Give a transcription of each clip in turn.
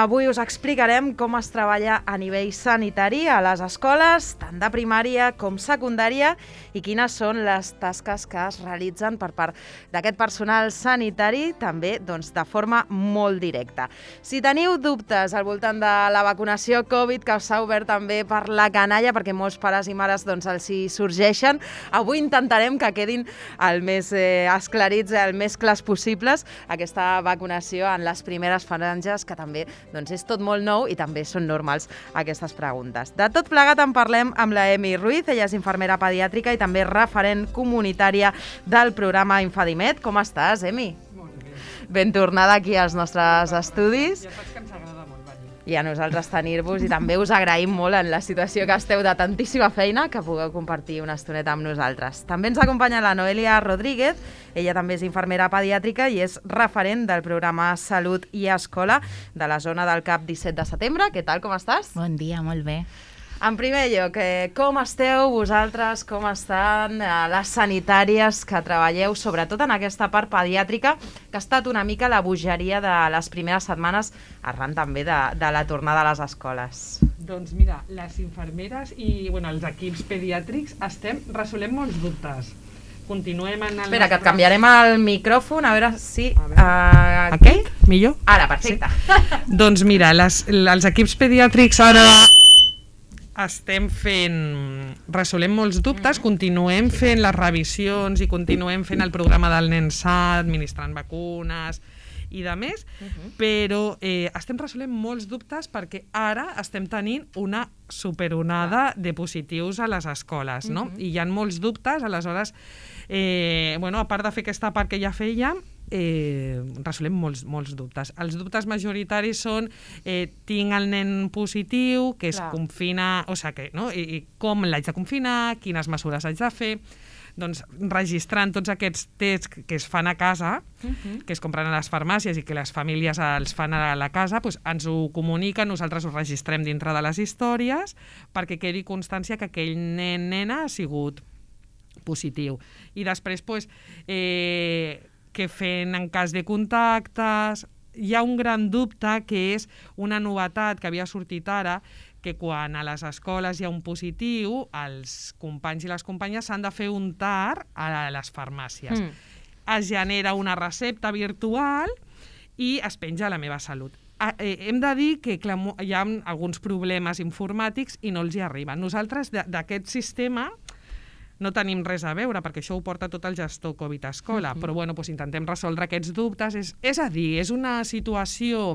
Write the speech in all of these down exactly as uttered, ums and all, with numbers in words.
avui us explicarem com es treballa a nivell sanitari a les escoles, tant de primària com secundària, i quines són les tasques que es realitzen per part d'aquest personal sanitari, també doncs, de forma molt directa. Si teniu dubtes al voltant de la vacunació Covid, que s'ha obert també per la canalla, perquè molts pares i mares doncs, els hi sorgeixen, avui intentarem que quedin el més eh, esclarits, el més clars possibles, aquesta vacunació en les primeres franges, que també doncs, és tot molt nou i també són normals aquestes preguntes. De tot plegat en parlem amb la Emi Ruiz, ella és infermera pediàtrica i també referent comunitària del programa Infadimed. Com estàs, Emi? Molt bé. Ben tornada aquí als nostres estudis. Ja saps que ens agrada molt venir. I a nosaltres tenir-vos, i també us agraïm molt en la situació que esteu de tantíssima feina que pugueu compartir una estoneta amb nosaltres. També ens acompanya la Noelia Rodríguez, ella també és infermera pediàtrica i és referent del programa Salut i Escola de la zona del CAP disset de setembre. Què tal, com estàs? Bon dia, molt bé. En primer lloc, eh, com esteu vosaltres, com estan eh, les sanitàries que treballeu, sobretot en aquesta part pediàtrica, que ha estat una mica la bogeria de les primeres setmanes, arran també de, de la tornada a les escoles? Doncs mira, les infermeres i bueno, els equips pediàtrics estem resolent molts dubtes. Continuem en el... Espera, que et canviarem el micròfon, a veure si... A veure. Uh, Aquest? Millor? Ara, perfecte. Sí. Doncs mira, les, els equips pediàtrics ara estem fent, resolem molts dubtes, mm. continuem fent les revisions i continuem fent el programa del nen sa, administrant vacunes i de més, uh-huh. però eh, estem resolent molts dubtes perquè ara estem tenint una superonada de positius a les escoles, no? Uh-huh. I hi ha molts dubtes, aleshores, eh, bueno, a part de fer aquesta part que ja fèiem, Eh, resolem molts, molts dubtes. Els dubtes majoritaris són eh, tinc el nen positiu, que es Clar. confina, o sigui, que, no? I, i com l'haig de confinar, quines mesures haig de fer, doncs registrant tots aquests tests que es fan a casa, uh-huh. que es compren a les farmàcies i que les famílies els fan a la casa, doncs ens ho comuniquen, nosaltres ho registrem dintre de les històries perquè quedi constància que aquell nen, nena ha sigut positiu. I després, doncs, eh, que fent en cas de contactes. Hi ha un gran dubte que és una novetat que havia sortit ara, que quan a les escoles hi ha un positiu, els companys i les companyes s'han de fer un T A R a les farmàcies. Mm. Es genera una recepta virtual i es penja a la meva salut. Hem de dir que clar, hi ha alguns problemes informàtics i no els hi arriben. Nosaltres d'aquest sistema no tenim res a veure, perquè això ho porta tot el gestor Covid Escola, mm-hmm. però bueno, doncs intentem resoldre aquests dubtes. És, és a dir, és una situació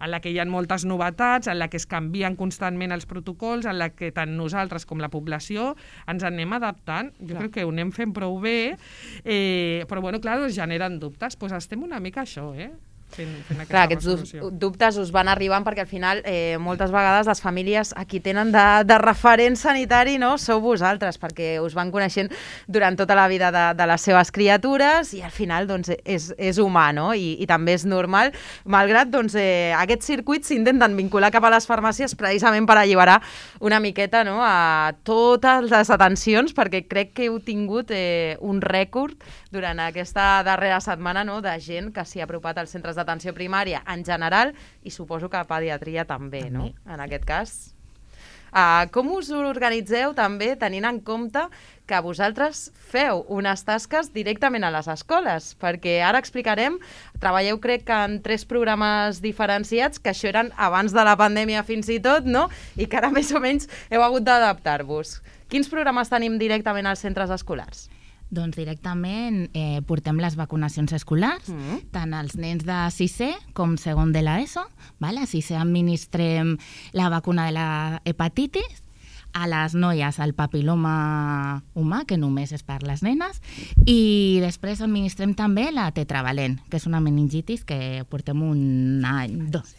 en la que hi ha moltes novetats, en la que es canvien constantment els protocols, en la que tant nosaltres com la població ens anem adaptant. Jo clar. crec que ho anem fent prou bé, eh, però bueno, clar, es generen dubtes. Doncs estem una mica això, eh? Fent, fent Clar, aquests resolució. dubtes us van arribant perquè al final eh, moltes vegades les famílies a qui tenen de, de referent sanitari, no, sou vosaltres, perquè us van coneixent durant tota la vida de, de les seves criatures i al final doncs, és, és humà, no? I, i també és normal, malgrat doncs, eh, aquests circuits s'intenten vincular cap a les farmàcies precisament per alliberar una miqueta, no, a totes les atencions, perquè crec que heu tingut eh, un rècord durant aquesta darrera setmana, no, de gent que s'hi ha apropat als centres d'atenció primària en general i suposo que a pediatria també, també. no? En aquest cas. Uh, com us organitzeu també tenint en compte que vosaltres feu unes tasques directament a les escoles? Perquè ara explicarem, treballeu crec que en tres programes diferenciats, que això eren abans de la pandèmia fins i tot, no? I que ara més o menys heu hagut d'adaptar-vos. Quins programes tenim directament als centres escolars? Doncs directament eh, portem les vacunacions escolars, mm. tant als nens de sisè com segon de l'ESO. Vale? A sisè administrem la vacuna de la hepatitis, a les noies el papiloma humà, que només és per les nenes, i després administrem també la tetravalent, que és una meningitis que portem un any, dos.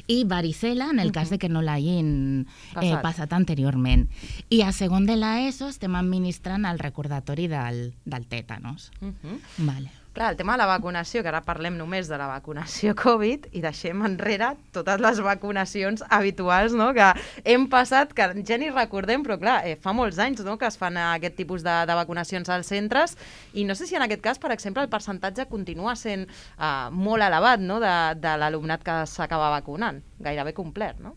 I varicela, en el cas de que no l'hagin eh, passat anteriorment. I a segon de l'ESO estem administrant el recordatori del, del tètanos. Uh-huh. Vale. Clar, el tema de la vacunació, que ara parlem només de la vacunació Covid i deixem enrere totes les vacunacions habituals, no?, que hem passat, que ja ni recordem, però clar, eh, fa molts anys, no?, que es fan aquest tipus de, de vacunacions als centres i no sé si en aquest cas, per exemple, el percentatge continua sent eh, molt elevat, no?, de, de l'alumnat que s'acaba vacunant, gairebé complet, no?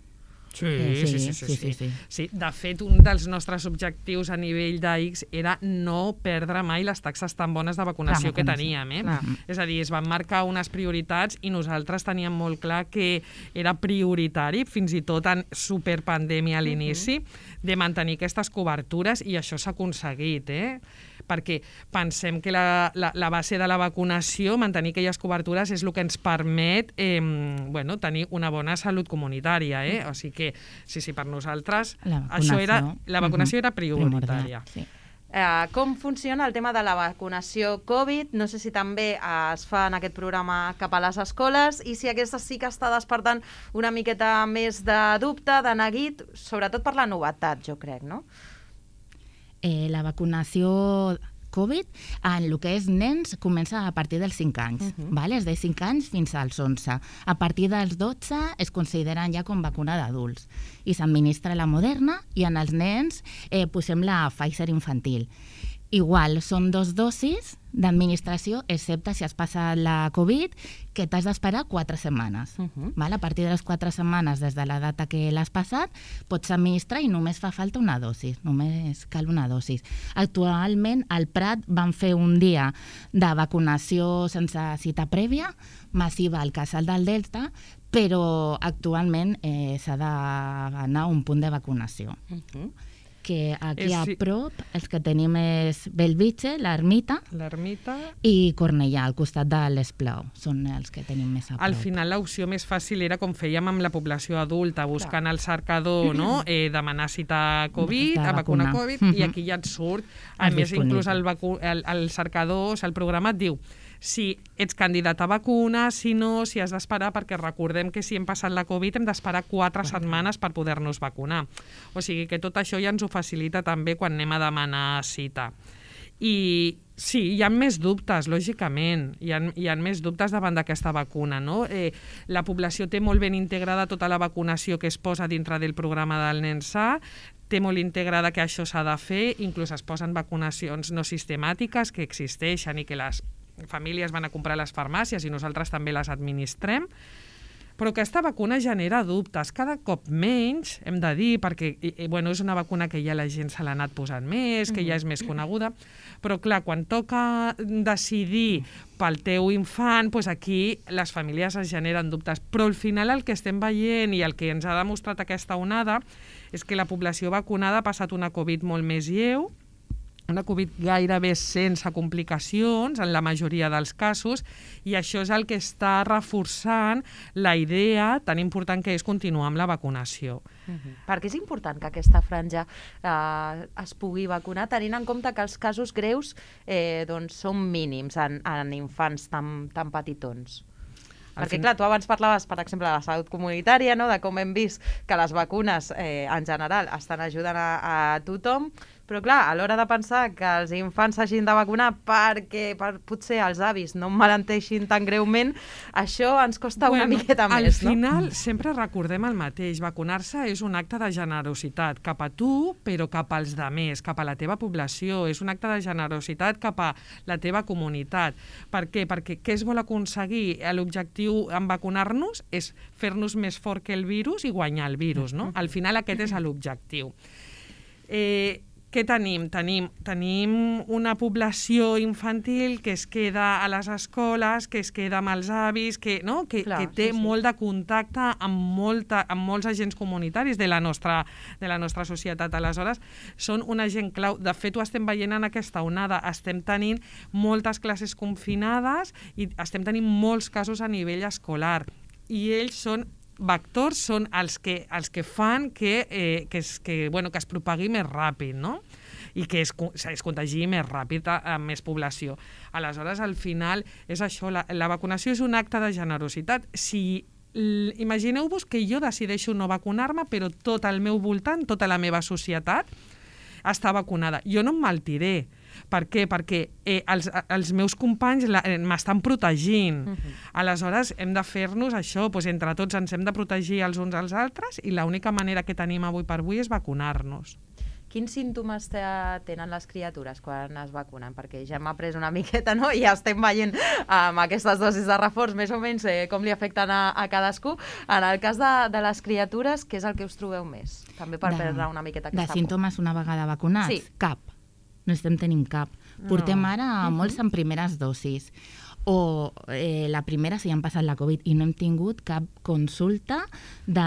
Sí, Eh, sí, sí, sí, sí, sí, sí, sí, sí. sí. De fet, un dels nostres objectius a nivell d'A X era no perdre mai les taxes tan bones de vacunació Clar, que vacunació. teníem. Eh? Clar. És a dir, es van marcar unes prioritats i nosaltres teníem molt clar que era prioritari, fins i tot en superpandèmia a l'inici, de mantenir aquestes cobertures i això s'ha aconseguit, eh? Perquè pensem que la, la, la base de la vacunació, mantenir aquelles cobertures, és el que ens permet eh, bueno, tenir una bona salut comunitària. Eh? O sigui que, sí, sí, per nosaltres, La això era, vacunació. la vacunació Mhm. era prioritària. Primordial, sí. Eh, com funciona el tema de la vacunació Covid? No sé si també eh, es fa en aquest programa cap a les escoles i si aquesta sí que està despertant una miqueta més de dubte, de neguit, sobretot per la novetat, jo crec, no? Eh, la vacunació Covid en el que és nens comença a partir dels cinc anys, uh -huh. vale? És de cinc anys fins als onze. A partir dels dotze es consideren ja com vacuna d'adults i s'administra la Moderna i en els nens eh, posem la Pfizer infantil. Igual, són dos dosis d'administració, excepte si has passat la Covid, que t'has d'esperar quatre setmanes. Uh -huh. Val? A partir de les quatre setmanes des de la data que l'has passat, pots administrar i només fa falta una dosis, només cal una dosis. Actualment, al Prat van fer un dia de vacunació sense cita prèvia, massiva al Casal del Delta, però actualment eh, s'ha d'anar a un punt de vacunació. Uh -huh. Que aquí És- a prop els que tenim és Bellvitge, l'Ermita L'ermita... i Cornellà, al costat de l'Esplau. Són els que tenim més a prop. Al final l'opció més fàcil era com fèiem amb la població adulta, buscant el cercador, no? eh, demanar cita Covid, De a vacuna vacunar. Covid, Mhm. i aquí ja et surt. A És més, inclús disponible. el, vacu el, el cercador, o sigui, el programa et diu si ets candidat a vacuna, si no, si has d'esperar, perquè recordem que si hem passat la Covid hem d'esperar quatre setmanes per poder-nos vacunar. O sigui que tot això ja ens ho facilita també quan anem a demanar cita. I sí, hi ha més dubtes, lògicament, hi ha, hi ha més dubtes davant d'aquesta vacuna, no? Eh, la població té molt ben integrada tota la vacunació que es posa dintre del programa del nen sa, té molt integrada que això s'ha de fer, inclús es posen vacunacions no sistemàtiques que existeixen i que les famílies van a comprar a les farmàcies i nosaltres també les administrem, però aquesta vacuna genera dubtes, cada cop menys, hem de dir, perquè i, bueno, és una vacuna que ja la gent se l'ha anat posant més, que ja és més coneguda, però clar, quan toca decidir pel teu infant, doncs aquí les famílies es generen dubtes, però al final el que estem veient i el que ens ha demostrat aquesta onada és que la població vacunada ha passat una Covid molt més lleu, una Covid gairebé sense complicacions en la majoria dels casos, i això és el que està reforçant la idea tan important que és continuar amb la vacunació. Uh-huh. Perquè és important que aquesta franja eh, es pugui vacunar, tenint en compte que els casos greus eh, doncs, són mínims en, en infants tan, tan petitons. Al Perquè, fin- clar, tu abans parlaves, per exemple, de la salut comunitària, no? De com hem vist que les vacunes, eh, en general, estan ajudant a, a tothom, però, clar, a l'hora de pensar que els infants s'hagin de vacunar perquè per, potser els avis no malenteixin tan greument, això ens costa una miqueta al més, no? Al final sempre recordem el mateix, vacunar-se és un acte de generositat cap a tu, però cap als demés, cap a la teva població, és un acte de generositat cap a la teva comunitat. Per què? Perquè què es vol aconseguir? L'objectiu en vacunar-nos és fer-nos més fort que el virus i guanyar el virus, no? Al final aquest és l'objectiu. Eh, Què tenim? Tenim, tenim una població infantil que es queda a les escoles, que es queda amb els avis, que, no? que, Clar, que té sí, sí. molt de contacte amb, molta, amb molts agents comunitaris de la, nostra, de la nostra societat. Aleshores, són una gent clau. De fet, ho estem veient en aquesta onada. Estem tenint moltes classes confinades i estem tenint molts casos a nivell escolar. I ells són vectors, són els que, els que fan que, eh, que, es, que, bueno, que es propagui més ràpid, no? I que es, es contagi més ràpid a, a més població. Aleshores, al final, és això, la, la vacunació és un acte de generositat. Si imagineu-vos que jo decideixo no vacunar-me, però tot al meu voltant, tota la meva societat, està vacunada. Jo no em maltiré, Per què? Perquè eh, els, els meus companys la, eh, m'estan protegint. Uh-huh. Aleshores, hem de fer-nos això, doncs, entre tots ens hem de protegir els uns als altres i l'única manera que tenim avui per avui és vacunar-nos. Quins símptomes tenen les criatures quan es vacunen? Perquè ja hem après una miqueta, no? I ja estem veient amb aquestes dosis de reforç més o menys eh, com li afecten a, a cadascú. En el cas de, de les criatures, què és el que us trobeu més? També per de, perdre una miqueta aquesta De símptomes una vegada vacunats? Sí. Cap. No estem tenint cap. Portem no. ara uh-huh. molts en primeres dosis. O eh, la primera si han passat la Covid i no hem tingut cap consulta de...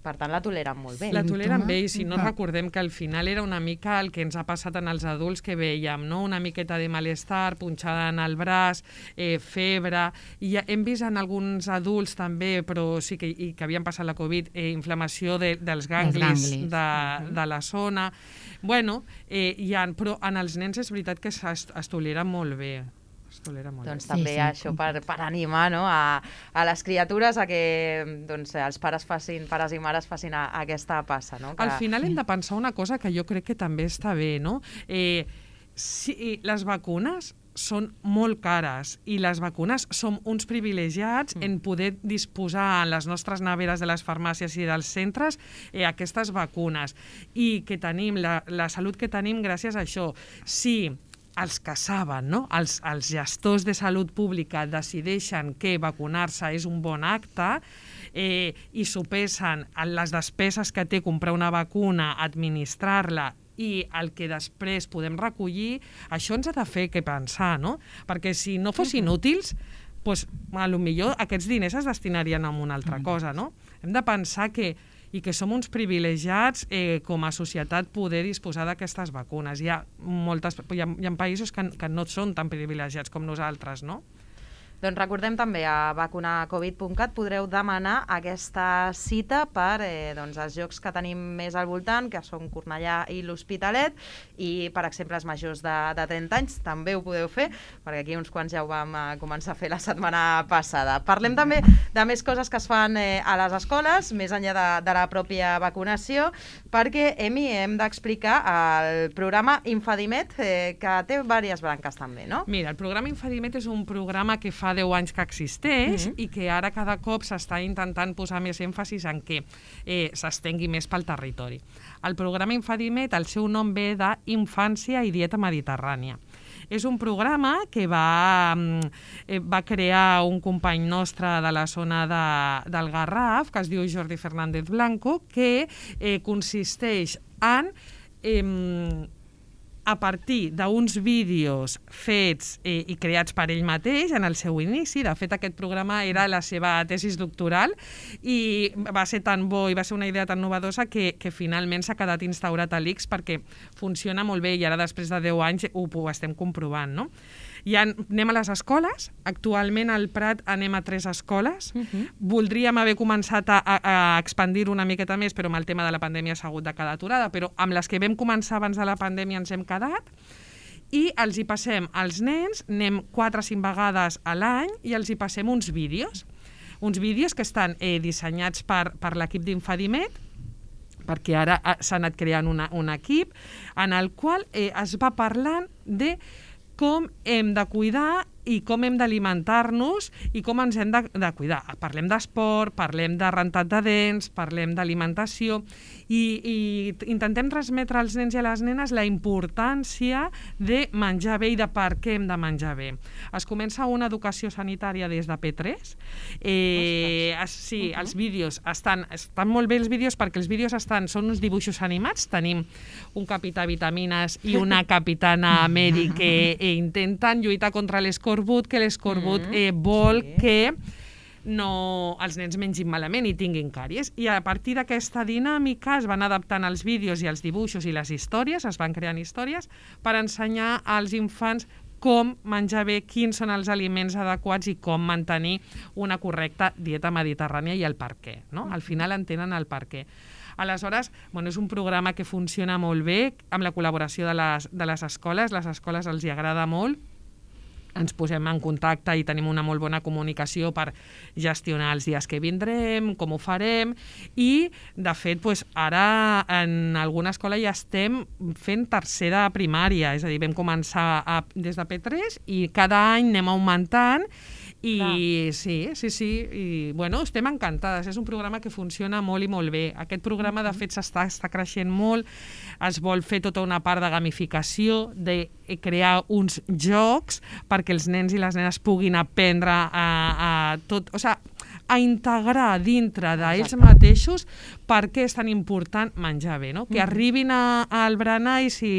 Per tant, la toleren molt bé. La toleren bé, i si no recordem que al final era una mica el que ens ha passat en els adults que veiem, no? Una miqueta de malestar, punxada en el braç, eh, febre, i ja hem vist en alguns adults també, però sí que, i que havien passat la Covid, eh, inflamació de, dels ganglis, ganglis. De, uh-huh. de la zona. Bueno, eh, ha, però en els nens és veritat que es, es toleren molt bé. Doncs també sí, sí. això per, per animar, no? a, a les criatures a que doncs, els pares facin, pares i mares facin a, a aquesta passa. No? Que... Al final hem de pensar una cosa que jo crec que també està bé, no? Eh, si les vacunes són molt cares i les vacunes som uns privilegiats mm. en poder disposar en les nostres neveres de les farmàcies i dels centres eh, aquestes vacunes, i que tenim la, la salut que tenim gràcies a això. Si els que saben, no? els, els gestors de salut pública decideixen que vacunar-se és un bon acte eh, i sopesen les despeses que té comprar una vacuna, administrar-la i el que després podem recollir, això ens ha de fer que pensar, no? Perquè si no fossin útils, doncs, a lo millor aquests diners es destinarien a una altra cosa, no? Hem de pensar que i que som uns privilegiats eh, com a societat poder disposar d'aquestes vacunes. Hi ha, moltes, hi ha, hi ha països que, que no són tan privilegiats com nosaltres, no? Doncs recordem també a vacunar covid punt cat podreu demanar aquesta cita per eh, doncs, els llocs que tenim més al voltant, que són Cornellà i l'Hospitalet, i per exemple els majors de, de trenta anys també ho podeu fer, perquè aquí uns quants ja ho vam eh, començar a fer la setmana passada. Parlem també de més coses que es fan eh, a les escoles, més enllà de, de la pròpia vacunació, perquè, Emi, hem d'explicar el programa Infadimet, eh, que té diverses branques també, no? Mira, el programa Infadimet és un programa que fa deu anys que existeix mm-hmm. i que ara cada cop s'està intentant posar més èmfasis en què eh, s'estengui més pel territori. El programa Infadimet, el seu nom ve d'Infància i Dieta Mediterrània. És un programa que va, eh, va crear un company nostre de la zona de, del Garraf, que es diu Jordi Fernández Blanco, que eh, consisteix en... Eh, a partir d'uns vídeos fets eh, i creats per ell mateix en el seu inici. De fet, aquest programa era la seva tesis doctoral i va ser tan bo i va ser una idea tan novedosa que, que finalment s'ha quedat instaurat a l'I C S perquè funciona molt bé i ara després de deu anys ho, ho estem comprovant, no? Ja anem a les escoles. Actualment al Prat anem a tres escoles. Uh-huh. Voldríem haver començat a, a, a expandir una miqueta més, però amb el tema de la pandèmia s'ha hagut de quedar aturada, però amb les que vam començar abans de la pandèmia ens hem quedat, i els hi passem als nens, anem quatre o cinc vegades a l'any i els hi passem uns vídeos, uns vídeos que estan eh, dissenyats per, per l'equip d'Infadimet, perquè ara s'ha anat creant una, un equip en el qual eh, es va parlant de com hem de cuidar i com hem d'alimentar-nos i com ens hem de, de cuidar. Parlem d'esport, parlem de rentat de dents, parlem d'alimentació i, i intentem transmetre als nens i a les nenes la importància de menjar bé i de per què hem de menjar bé. Es comença una educació sanitària des de P tres. Eh, es, sí, uh-huh. Els vídeos estan, estan molt bé els vídeos perquè els vídeos estan, són uns dibuixos animats. Tenim un capità vitamines i una capitana Mary que eh, intenten lluitar contra l'escorbut, que l'escorbut eh, vol sí. que no, els nens mengin malament i tinguin càries. I a partir d'aquesta dinàmica es van adaptant els vídeos i els dibuixos i les històries, es van creant històries per ensenyar als infants com menjar bé, quins són els aliments adequats i com mantenir una correcta dieta mediterrània i el per què, no? Al final entenen el per què. Aleshores, bueno, és un programa que funciona molt bé amb la col·laboració de les, de les escoles, les escoles els hi agrada molt. ens posem en contacte i tenim una molt bona comunicació per gestionar els dies que vindrem, com ho farem, i, de fet, doncs, ara en alguna escola ja estem fent tercer de primària, és a dir, vam començar a, des de P tres i cada any anem augmentant. I Clar. sí, sí, sí, i bueno, estem encantades, és un programa que funciona molt i molt bé. Aquest programa, de fet, s'està està creixent molt, es vol fer tota una part de gamificació, de crear uns jocs perquè els nens i les nenes puguin aprendre a, a tot, o sigui, a integrar dintre d'ells mateixos per què és tan important menjar bé, no? Que arribin a, al berenar i si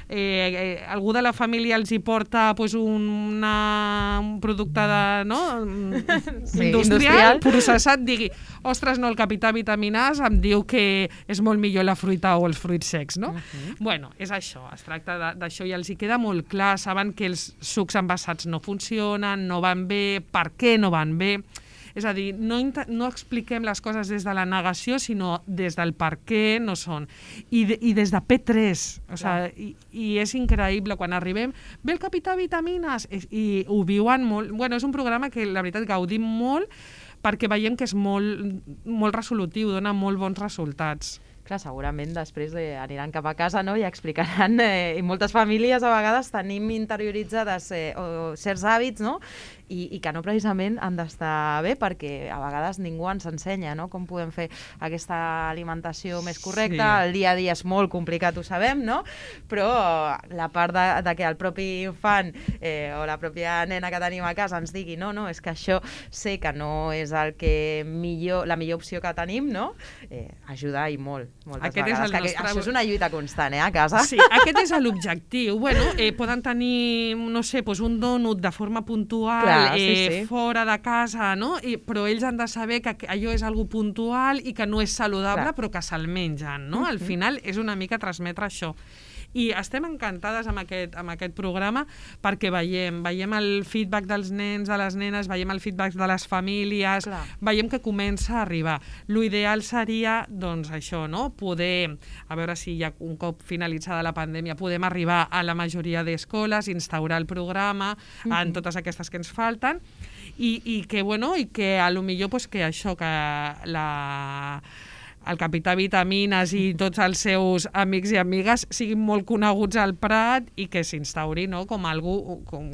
eh, eh, algú de la família els hi porta pues, una, un producte de, no? sí, industrial, industrial, processat, digui, ostres, no, el capità vitamines em diu que és molt millor la fruita o els fruits secs, no? Uh-huh. Bueno, és això, es tracta d'això i els hi queda molt clar, saben que els sucs envasats no funcionen, no van bé, per què no van bé. És a dir, no, no expliquem les coses des de la negació, sinó des del per què no són. I, de, i des de P tres. O sigui, i, I és increïble quan arribem, ve el capità vitamines, i, i ho viuen molt. Bueno, és un programa que la veritat gaudim molt perquè veiem que és molt, molt resolutiu, dona molt bons resultats. Clar, segurament després eh, aniran cap a casa, no?, i explicaran, eh, i moltes famílies a vegades tenim interioritzades eh, o certs hàbits, no?, i, i que no precisament han d'estar bé perquè a vegades ningú ens ensenya, no?, com podem fer aquesta alimentació més correcta. Sí. El dia a dia és molt complicat, ho sabem, no?, però la part de, de que el propi infant eh, o la pròpia nena que tenim a casa ens digui no, no, és que això sé que no és el que millor, la millor opció que tenim, no?, eh, ajuda i molt. Moltes aquest vegades, és el que nostre... això és una lluita constant, eh, a casa. Sí, aquest és l'objectiu. Bueno, eh, poden tenir, no sé, pues un dònut de forma puntual, Clar, sí, eh, sí. fora de casa, no? I, però ells han de saber que allò és algo puntual i que no és saludable, Clar. Però que se'l mengen, no? Uh-huh. Al final és una mica transmetre això. I estem encantades amb aquest, amb aquest programa perquè veiem, veiem el feedback dels nens, de les nenes, veiem el feedback de les famílies, Clar. Veiem que comença a arribar. L'ideal seria, doncs, això, no?, poder, a veure si ja un cop finalitzada la pandèmia, podem arribar a la majoria d'escoles, instaurar el programa uh-huh. en totes aquestes que ens falten i, i que, bueno, i que a lo millor, pues, que això, que la... el capità vitamines i tots els seus amics i amigues siguin molt coneguts al Prat i que s'instauri, no?, com algú, com,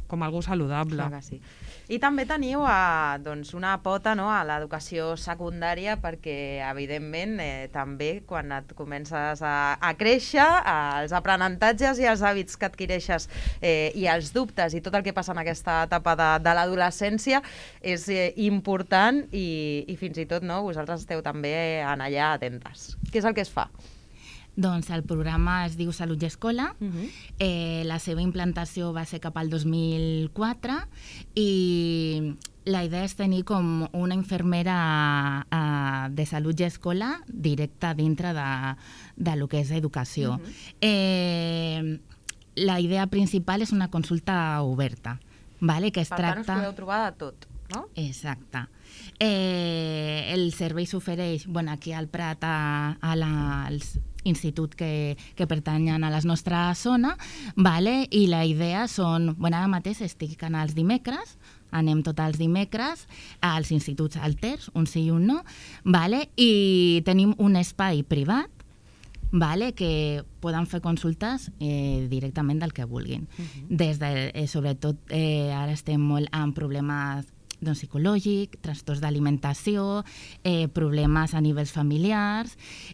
com algú saludable. Clar que sí. I també teniu a, doncs, una pota, no?, a l'educació secundària perquè, evidentment, eh, també quan et comences a, a créixer, els aprenentatges i els hàbits que adquireixes eh, i els dubtes i tot el que passa en aquesta etapa de, de l'adolescència és eh, important i, i fins i tot, no?, vosaltres esteu també en allà atentes. Què és el que es fa? Doncs el programa es diu Salut i Escola. Uh-huh. eh, la seva implantació va ser cap al dos mil quatre i la idea és tenir com una infermera uh, de salut i escola directa dintre de, de lo que és educació. Uh-huh. eh, la idea principal és una consulta oberta, vale? Que es per tracta... tant, us podeu trobar de tot, no? Exacte. Eh, el servei s'ofereix, bueno, aquí al Prat, a, a la, als institut que, que pertanyen a la nostra zona, vale? I la idea són, bueno, ara mateix estic anant els dimecres, anem tots els dimecres als instituts alters, un sí i un no, vale? I tenim un espai privat, vale? Que poden fer consultes eh, directament del que vulguin. Uh-huh. Des de, eh, sobretot, eh, ara estem molt amb problemes doncs, psicològic, trastorns d'alimentació, eh, problemes a nivells familiars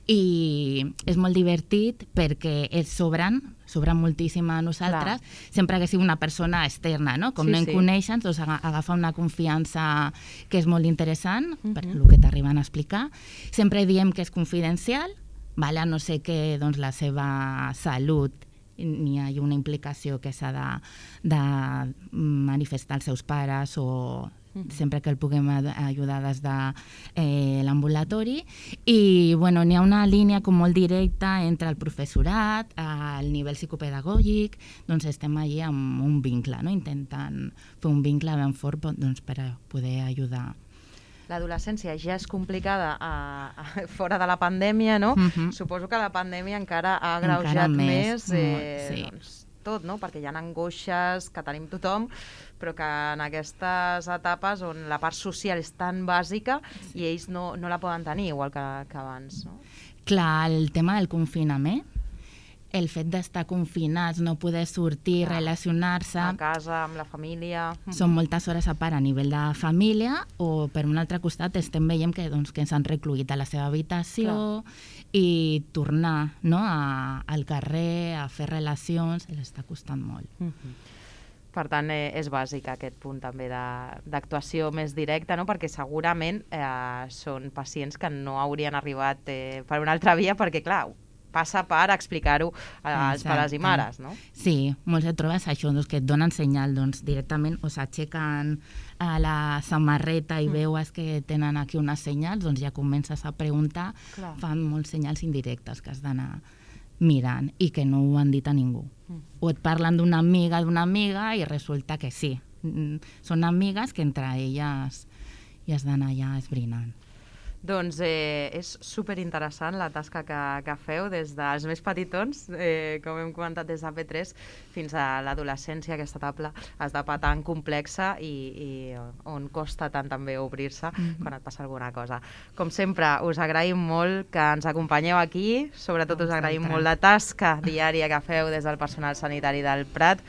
i és molt divertit perquè ells sobren, sobren moltíssim a nosaltres, Clar. Sempre que sigui una persona externa, no? Com sí, no en sí. coneixen, doncs agafa una confiança que és molt interessant, uh-huh. per el que t'arriben a explicar. Sempre diem que és confidencial, vale? A no sé que doncs, la seva salut ni hi ha una implicació que s'ha de, de manifestar als seus pares o sempre que el puguem ajudar des de eh, l'ambulatori. I bueno, n'hi ha una línia com molt directa entre el professorat, el nivell psicopedagògic, doncs estem allí amb un vincle, no? Intentant fer un vincle ben fort doncs, per a poder ajudar. L'adolescència ja és complicada a, a, fora de la pandèmia, no? Uh-huh. Suposo que la pandèmia encara ha agreujat més, més eh, sí. doncs, tot, no? Perquè hi ha angoixes que tenim tothom, però que en aquestes etapes on la part social és tan bàsica i ells no, no la poden tenir igual que, que abans, no? Clar, el tema del confinament, el fet d'estar confinats, no poder sortir, Clar. relacionar-se... A casa, amb la família... Són moltes hores a part a nivell de família, o per un altre costat estem veient que, doncs, que s'han recluït a la seva habitació Clar. i tornar, no, a, al carrer, a fer relacions, els està costant molt. Mm-hmm. Per tant, eh, és bàsic aquest punt també d'actuació més directa, no? Perquè segurament eh, són pacients que no haurien arribat eh, per una altra via, perquè, clar, passa per explicar-ho als Exacte. pares i mares, no? Sí, molts et trobes això, doncs, que et donen senyal, doncs, directament o s'aixequen a la samarreta i mm. veus que tenen aquí unes senyals, doncs ja comences a preguntar, Clar. fan molts senyals indirectes que has d'anar mirant i que no ho han dit a ningú. Mm. O et parlen d'una amiga d'una amiga i resulta que sí. Són amigues que entre elles hi has d'anar ja esbrinant. Doncs eh, és superinteressant la tasca que, que feu des dels més petitons, eh, com hem comentat des de P tres, fins a l'adolescència, aquesta etapa, etapa tan complexa i, i on costa tant també obrir-se mm-hmm. quan et passa alguna cosa. Com sempre, us agraïm molt que ens acompanyeu aquí, sobretot us agraïm molt la tasca diària que feu des del personal sanitari del Prat,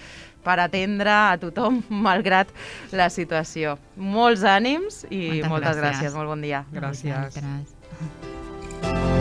per atendre a tothom, malgrat la situació. Molts ànims i moltes, moltes gràcies. gràcies. Molt bon dia. Gràcies. Gràcies.